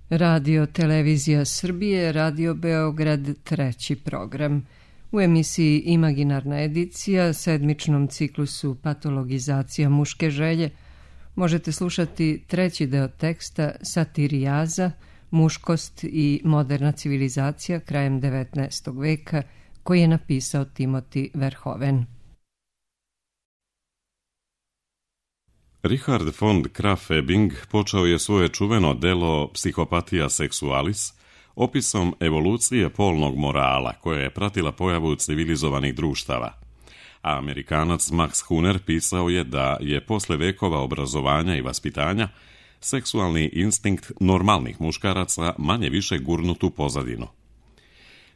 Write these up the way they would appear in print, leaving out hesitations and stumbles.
Radio Televizija Srbije, Radio Beograd, treći program. U emisiji Imaginarna edicija, sedmičnom ciklusu Patologizacija muške želje, možete slušati treći deo teksta Satirijaza, muškost i moderna civilizacija krajem 19. veka, koji je napisao Timothy Verhoeven. Richard von Krafft-Ebing počeo je svoje čuveno delo Psychopathia sexualis opisom evolucije polnog morala koja je pratila pojavu civilizovanih društava. A Amerikanac Max Huner pisao je da je posle vekova obrazovanja i vaspitanja seksualni instinkt normalnih muškaraca manje više gurnut u pozadinu.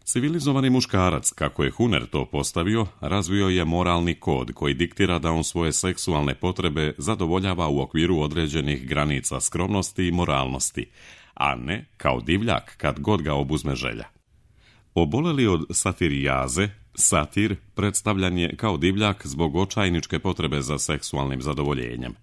Civilizovani muškarac, kako je Huner to postavio, razvio je moralni kod koji diktira da on svoje seksualne potrebe zadovoljava u okviru određenih granica skromnosti i moralnosti, a ne kao divljak kad god ga obuzme želja. Oboleli od satirijaze, satir predstavljan je kao divljak zbog očajničke potrebe za seksualnim zadovoljenjem.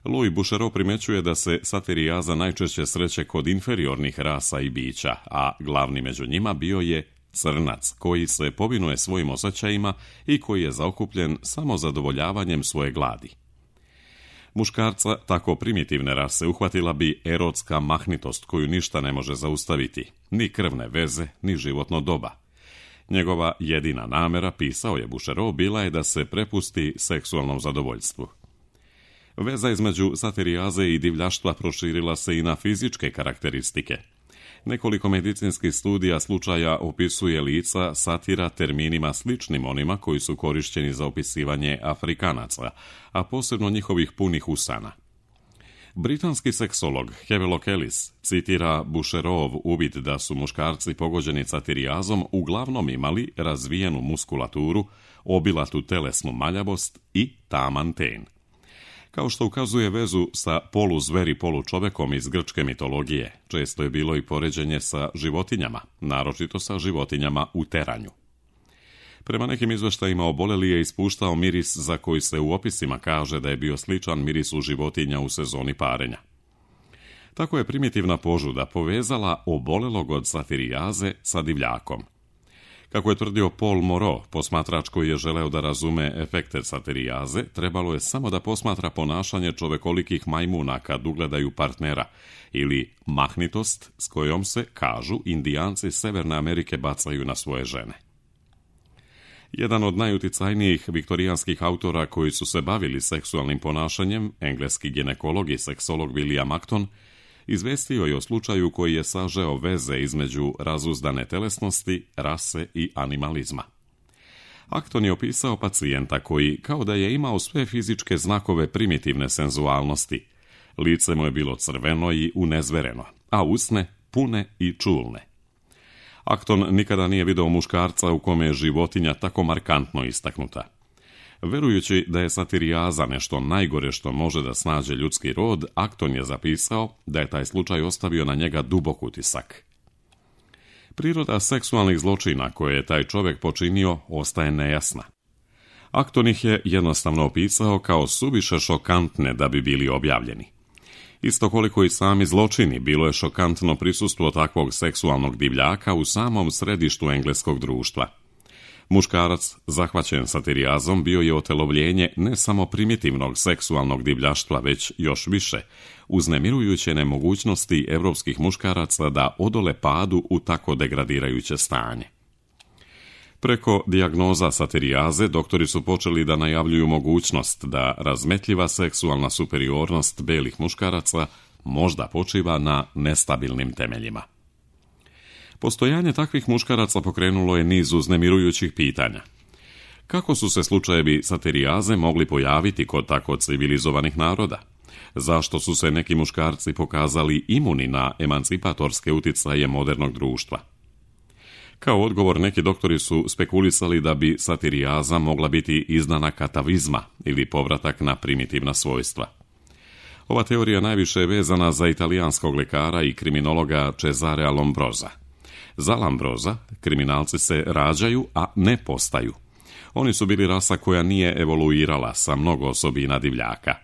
Louis Bouchereau primećuje da se satirijaza najčešće sreće kod inferiornih rasa i bića, a glavni među njima bio je crnac, koji se povinuje svojim osjećajima i koji je zaokupljen samo zadovoljavanjem svoje gladi. Muškarca tako primitivne rase uhvatila bi erotska mahnitost koju ništa ne može zaustaviti, ni krvne veze, ni životno doba. Njegova jedina namera, pisao je Bouchereau, bila je da se prepusti seksualnom zadovoljstvu. Veza između satirijaze i divljaštva proširila se i na fizičke karakteristike. Nekoliko medicinskih studija slučaja opisuje lica satira terminima sličnim onima koji su korišćeni za opisivanje Afrikanaca, a posebno njihovih punih usana. Britanski seksolog Havelock Ellis citira Bouchereauov uvid da su muškarci pogođeni satirijazom uglavnom imali razvijenu muskulaturu, obilatu telesnu maljavost i taman ten. Kao što ukazuje vezu sa poluzveri polučovekom iz grčke mitologije, često je bilo i poređenje sa životinjama, naročito sa životinjama u teranju. Prema nekim izveštajima oboleli je ispuštao miris za koji se u opisima kaže da je bio sličan mirisu životinja u sezoni parenja. Tako je primitivna požuda povezala obolelog od satirijaze sa divljakom. Kako je tvrdio Paul Moreau, posmatrač koji je želeo da razume efekte satirijaze, trebalo je samo da posmatra ponašanje čovekolikih majmuna kad ugledaju partnera, ili mahnitost s kojom se, kažu, Indijanci Severne Amerike bacaju na svoje žene. Jedan od najuticajnijih viktorijanskih autora koji su se bavili seksualnim ponašanjem, engleski ginekolog i seksolog William Acton, izvestio je o slučaju koji je sažeo veze između razuzdane telesnosti, rase i animalizma. Acton je opisao pacijenta koji, kao da je imao sve fizičke znakove primitivne senzualnosti. Lice mu je bilo crveno i unezvereno, a usne pune i čulne. Acton nikada nije video muškarca u kome je životinja tako markantno istaknuta. Verujući da je satirijaza nešto najgore što može da snađe ljudski rod, Acton je zapisao da je taj slučaj ostavio na njega dubok utisak. Priroda seksualnih zločina koje je taj čovjek počinio ostaje nejasna. Acton ih je jednostavno opisao kao suviše šokantne da bi bili objavljeni. Isto koliko i sami zločini, bilo je šokantno prisustvo takvog seksualnog divljaka u samom središtu engleskog društva. Muškarac, zahvaćen satirijazom, bio je otelovljenje ne samo primitivnog seksualnog divljaštva, već još više, uznemirujuće nemogućnosti evropskih muškaraca da odole padu u tako degradirajuće stanje. Preko dijagnoza satirijaze doktori su počeli da najavljuju mogućnost da razmetljiva seksualna superiornost belih muškaraca možda počiva na nestabilnim temeljima. Postojanje takvih muškaraca pokrenulo je niz uznemirujućih pitanja. Kako su se slučajevi satirijaze mogli pojaviti kod tako civilizovanih naroda? Zašto su se neki muškarci pokazali imuni na emancipatorske uticaje modernog društva? Kao odgovor, neki doktori su spekulisali da bi satirijaza mogla biti izdanak atavizma ili povratak na primitivna svojstva. Ova teorija najviše je vezana za italijanskog lekara i kriminologa Cesarea Lombrosa. Za Lombrosa kriminalci se rađaju, a ne postaju. Oni su bili rasa koja nije evoluirala sa mnogo osobina divljaka.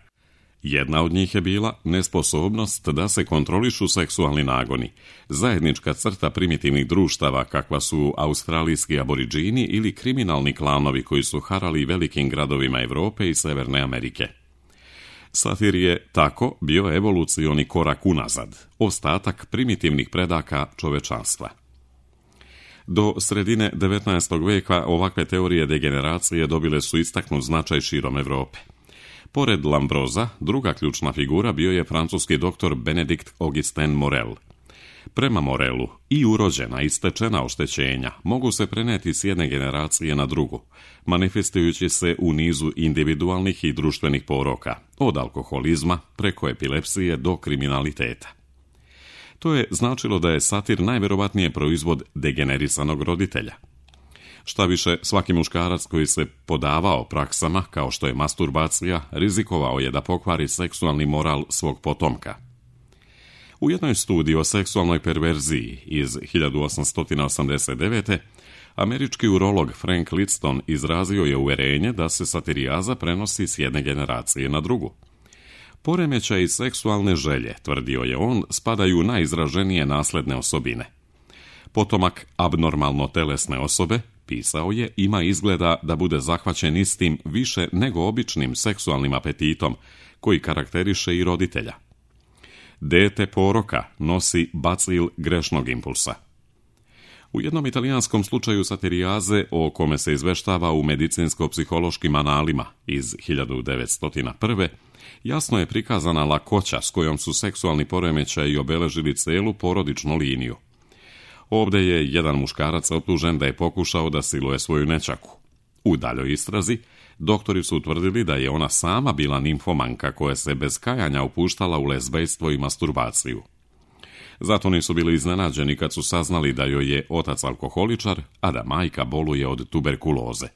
Jedna od njih je bila nesposobnost da se kontrolišu seksualni nagoni, zajednička crta primitivnih društava kakva su australijski aboriđini ili kriminalni klanovi koji su harali velikim gradovima Europe i Severne Amerike. Satir je tako bio evolucioni korak unazad, ostatak primitivnih predaka čovečanstva. Do sredine 19. veka ovakve teorije degeneracije dobile su istaknut značaj širom Europe. Pored Lambroza, druga ključna figura bio je francuski doktor Benedikt Augustin Morel. Prema Morelu, i urođena i stečena oštećenja mogu se preneti s jedne generacije na drugu, manifestujući se u nizu individualnih i društvenih poroka, od alkoholizma preko epilepsije do kriminaliteta. To je značilo da je satir najvjerovatnije proizvod degenerisanog roditelja. Šta više, svaki muškarac koji se podavao praksama, kao što je masturbacija, rizikovao je da pokvari seksualni moral svog potomka. U jednoj studiji o seksualnoj perverziji iz 1889. američki urolog Frank Lidston izrazio je uverenje da se satirijaza prenosi s jedne generacije na drugu. Poremećaji seksualne želje, tvrdio je on, spadaju u najizraženije nasledne osobine. Potomak abnormalno telesne osobe, pisao je, ima izgleda da bude zahvaćen istim više nego običnim seksualnim apetitom koji karakteriše i roditelja. Dete poroka nosi bacil grešnog impulsa. U jednom italijanskom slučaju satirijaze, o kome se izveštava u medicinsko-psihološkim analima iz 1901. jasno je prikazana lakoća s kojom su seksualni poremećaji obeležili celu porodičnu liniju. Ovdje je jedan muškarac optužen da je pokušao da siluje svoju nećaku. U daljoj istrazi, doktori su utvrdili da je ona sama bila nimfomanka koja se bez kajanja upuštala u lezbejstvo i masturbaciju. Zato nisu bili iznenađeni kad su saznali da joj je otac alkoholičar, a da majka boluje od tuberkuloze.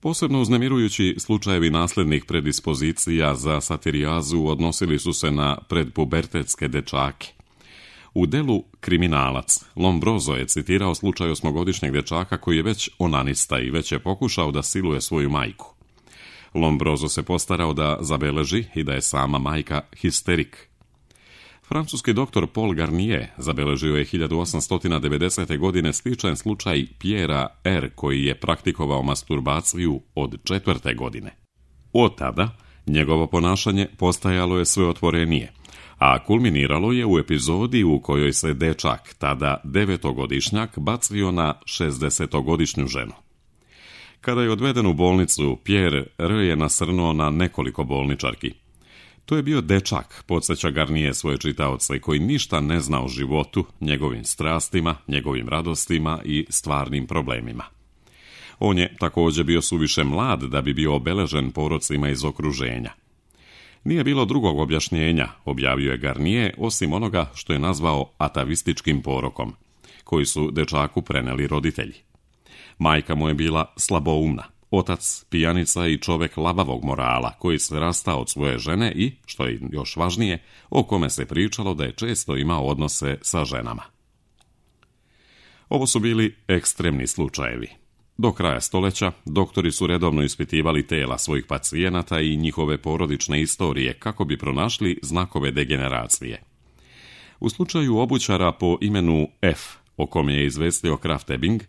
Posebno uznemirujući slučajevi naslednih predispozicija za satirijazu odnosili su se na predpubertetske dečake. U delu Kriminalac, Lombroso je citirao slučaj 8-godišnjeg dečaka koji je već onanista i već je pokušao da siluje svoju majku. Lombroso se postarao da zabeleži i da je sama majka histerik. Francuski doktor Paul Garnier zabeležio je 1890. godine sličan slučaj Pierre R. koji je praktikovao masturbaciju od 4. godine. Od tada njegovo ponašanje postajalo je sve otvorenije, a kulminiralo je u epizodi u kojoj se dečak, tada 9-godišnjak, bacio na 60-godišnju ženu. Kada je odveden u bolnicu, Pierre R. je nasrnuo na nekoliko bolničarki. To je bio dečak, podsjeća Garnier svoje čitaoce, koji ništa ne zna o životu, njegovim strastima, njegovim radostima i stvarnim problemima. On je također bio suviše mlad da bi bio obeležen porocima iz okruženja. Nije bilo drugog objašnjenja, objavio je Garnier, osim onoga što je nazvao atavističkim porokom, koji su dečaku preneli roditelji. Majka mu je bila slaboumna, otac pijanica i čovek labavog morala, koji se rastao od svoje žene i, što je još važnije, o kome se pričalo da je često imao odnose sa ženama. Ovo su bili ekstremni slučajevi. Do kraja stoljeća doktori su redovno ispitivali tela svojih pacijenata i njihove porodične istorije kako bi pronašli znakove degeneracije. U slučaju obućara po imenu F, o kome je izvestio Krafft Ebing,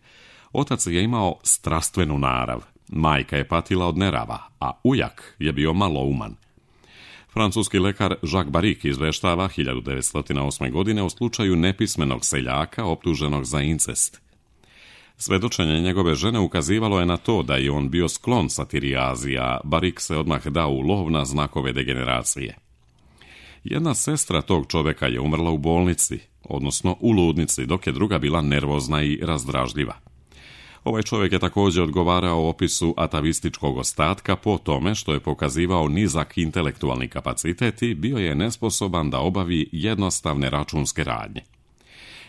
otac je imao strastvenu narav, majka je patila od nerava, a ujak je bio malouman. Francuski lekar Jacques Barrique izveštava 1908. godine o slučaju nepismenog seljaka optuženog za incest. Svedočenje njegove žene ukazivalo je na to da je on bio sklon satirijazi, a Barrique se odmah dao u lov na znakove degeneracije. Jedna sestra tog čoveka je umrla u bolnici, odnosno u ludnici, dok je druga bila nervozna i razdražljiva. Ovaj čovjek je također odgovarao opisu atavističkog ostatka po tome što je pokazivao nizak intelektualni kapacitet i bio je nesposoban da obavi jednostavne računske radnje.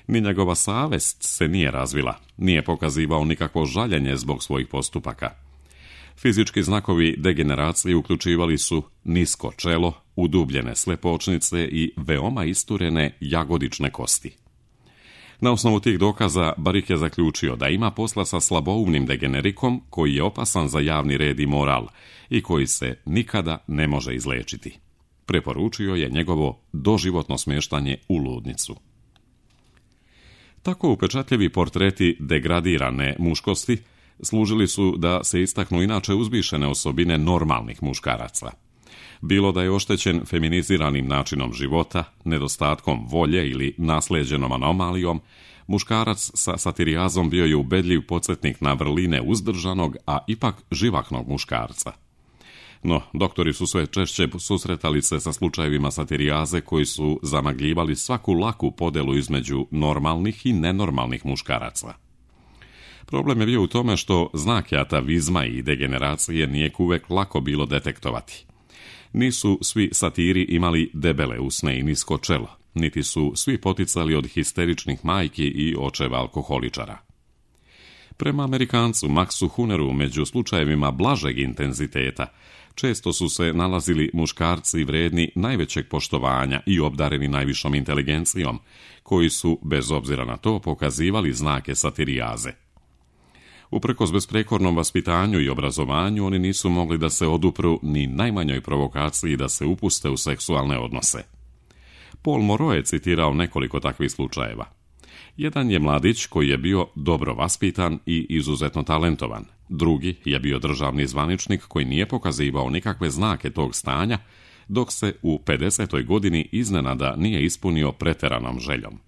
Ni njegova savest se nije razvila, nije pokazivao nikakvo žaljenje zbog svojih postupaka. Fizički znakovi degeneracije uključivali su nisko čelo, udubljene slepočnice i veoma isturene jagodične kosti. Na osnovu tih dokaza Barik je zaključio da ima posla sa slaboumnim degenerikom koji je opasan za javni red i moral i koji se nikada ne može izlečiti. Preporučio je njegovo doživotno smještanje u ludnicu. Tako upečatljivi portreti degradirane muškosti služili su da se istaknu inače uzvišene osobine normalnih muškaraca. Bilo da je oštećen feminiziranim načinom života, nedostatkom volje ili naslijeđenom anomalijom, muškarac sa satirijazom bio je ubedljiv podsjetnik na vrline uzdržanog, a ipak živahnog muškarca. No, doktori su sve češće susretali se sa slučajevima satirijaze koji su zamagljivali svaku laku podelu između normalnih i nenormalnih muškaraca. Problem je bio u tome što znake atavizma i degeneracije nije uvek lako bilo detektovati. Nisu svi satiri imali debele usne i nisko čelo, niti su svi poticali od histeričnih majki i očeva alkoholičara. Prema Amerikancu Maxu Huneru među slučajevima blažeg intenziteta često su se nalazili muškarci vredni najvećeg poštovanja i obdareni najvišom inteligencijom, koji su, bez obzira na to, pokazivali znake satirijaze. Uprkos besprekornom vaspitanju i obrazovanju, oni nisu mogli da se odupru ni najmanjoj provokaciji da se upuste u seksualne odnose. Paul Moreau je citirao nekoliko takvih slučajeva. Jedan je mladić koji je bio dobro vaspitan i izuzetno talentovan. Drugi je bio državni zvaničnik koji nije pokazivao nikakve znake tog stanja, dok se u 50. godini iznenada nije ispunio preteranom željom.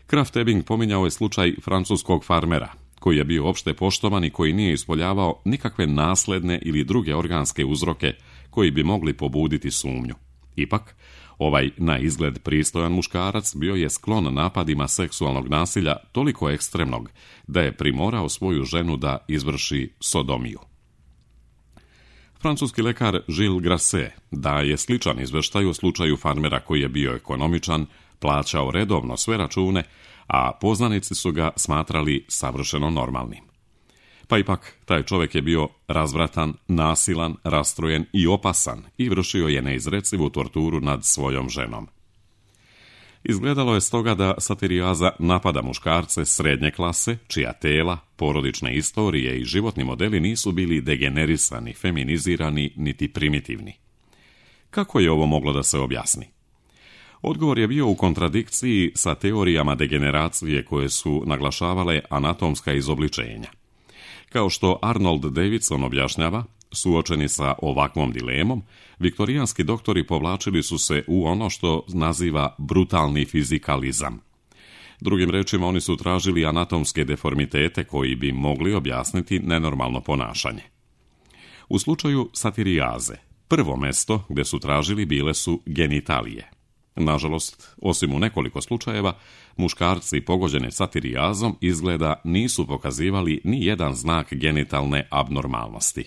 Krafft Ebing pominjao je slučaj francuskog farmera, koji je bio opšte poštovan i koji nije ispoljavao nikakve nasledne ili druge organske uzroke koji bi mogli pobuditi sumnju. Ipak, ovaj na izgled pristojan muškarac bio je sklon napadima seksualnog nasilja toliko ekstremnog da je primorao svoju ženu da izvrši sodomiju. Francuski lekar Gilles Grasset daje sličan izveštaj u slučaju farmera koji je bio ekonomičan, plaćao redovno sve račune, a poznanici su ga smatrali savršeno normalnim. Pa ipak, taj čovjek je bio razvratan, nasilan, rastrojen i opasan i vršio je neizrecivu torturu nad svojom ženom. Izgledalo je stoga da satirijaza napada muškarce srednje klase, čija tela, porodične istorije i životni modeli nisu bili degenerisani, feminizirani, niti primitivni. Kako je ovo moglo da se objasni? Odgovor je bio u kontradikciji sa teorijama degeneracije koje su naglašavale anatomska izobličenja. Kao što Arnold Davidson objašnjava, suočeni sa ovakvom dilemom, viktorijanski doktori povlačili su se u ono što naziva brutalni fizikalizam. Drugim rečima, oni su tražili anatomske deformitete koji bi mogli objasniti nenormalno ponašanje. U slučaju satirijaze, prvo mesto gdje su tražili bile su genitalije. Nažalost, osim u nekoliko slučajeva, muškarci pogođeni satirijazom izgleda nisu pokazivali ni jedan znak genitalne abnormalnosti.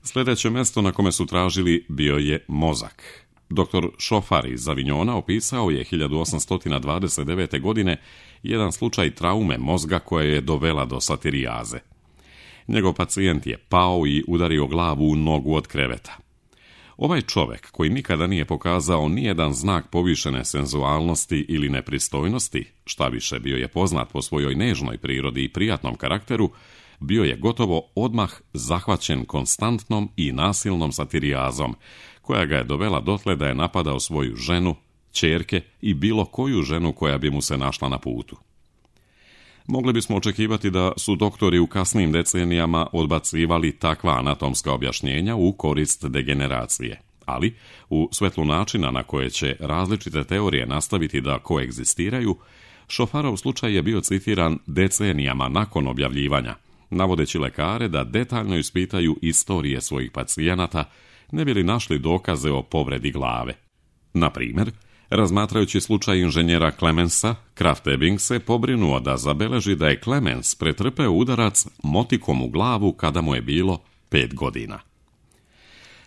Sljedeće mjesto na kome su tražili bio je mozak. Dr. Šofar iz Avignona opisao je 1829. godine jedan slučaj traume mozga koja je dovela do satirijaze. Njegov pacijent je pao i udario glavu u nogu od kreveta. Ovaj čovjek, koji nikada nije pokazao nijedan znak povišene senzualnosti ili nepristojnosti, šta više bio je poznat po svojoj nežnoj prirodi i prijatnom karakteru, bio je gotovo odmah zahvaćen konstantnom i nasilnom satirijazom, koja ga je dovela dotle da je napadao svoju ženu, ćerke i bilo koju ženu koja bi mu se našla na putu. Mogli bismo očekivati da su doktori u kasnim decenijama odbacivali takva anatomska objašnjenja u korist degeneracije, ali u svetlu načina na koje će različite teorije nastaviti da koegzistiraju, Šofarov slučaj je bio citiran decenijama nakon objavljivanja, navodeći lekare da detaljno ispitaju istorije svojih pacijenata, ne bi li našli dokaze o povredi glave. Na primjer, razmatrajući slučaj inženjera Clemensa, Krafft Ebing se pobrinuo da zabeleži da je Clemens pretrpeo udarac motikom u glavu kada mu je bilo 5 godina.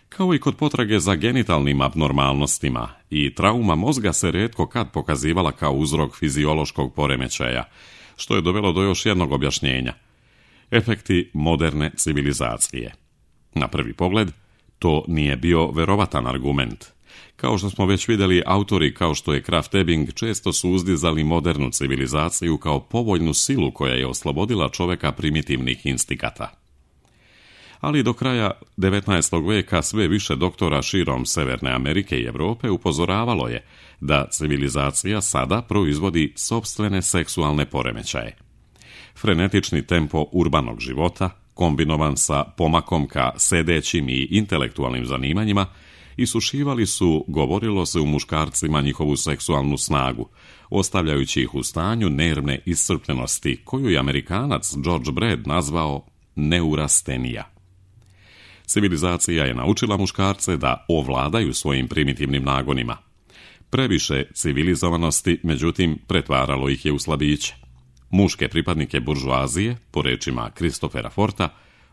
Kao i kod potrage za genitalnim abnormalnostima, i trauma mozga se rijetko kad pokazivala kao uzrok fiziološkog poremećaja, što je dovelo do još jednog objašnjenja. Efekti moderne civilizacije. Na prvi pogled, to nije bio verovatan argument. Kao što smo već vidjeli, autori kao što je Krafft Ebing često su uzdizali modernu civilizaciju kao povoljnu silu koja je oslobodila čoveka primitivnih instikata. Ali do kraja 19. veka sve više doktora širom Severne Amerike i Europe upozoravalo je da civilizacija sada proizvodi sopstvene seksualne poremećaje. Frenetični tempo urbanog života, kombinovan sa pomakom ka sedećim i intelektualnim zanimanjima, isušivali su, govorilo se u muškarcima, njihovu seksualnu snagu, ostavljajući ih u stanju nervne iscrpljenosti, koju je Amerikanac George Brad nazvao neurastenija. Civilizacija je naučila muškarce da ovladaju svojim primitivnim nagonima. Previše civilizovanosti, međutim, pretvaralo ih je u slabiće. Muške pripadnike buržoazije, po rečima Christophera Forta,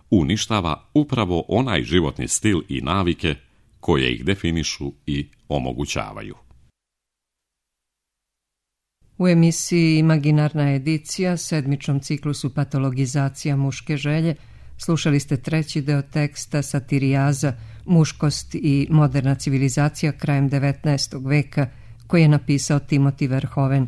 uništava upravo onaj životni stil i navike koje ih definišu i omogućavaju. U emisiji Imaginarna edicija, sedmičnom ciklusu Patologizacija muške želje, slušali ste treći deo teksta Satirijaza, muškost i moderna civilizacija krajem 19. veka, koji je napisao Timothy Verhoeven.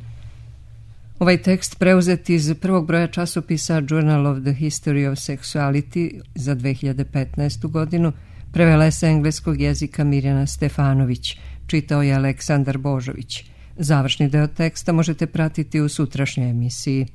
Ovaj tekst preuzet iz prvog broja časopisa Journal of the History of Sexuality za 2015. godinu, prevela je sa engleskog jezika Mirjana Stefanović, čitao je Aleksandar Božović. Završni deo teksta možete pratiti u sutrašnjoj emisiji.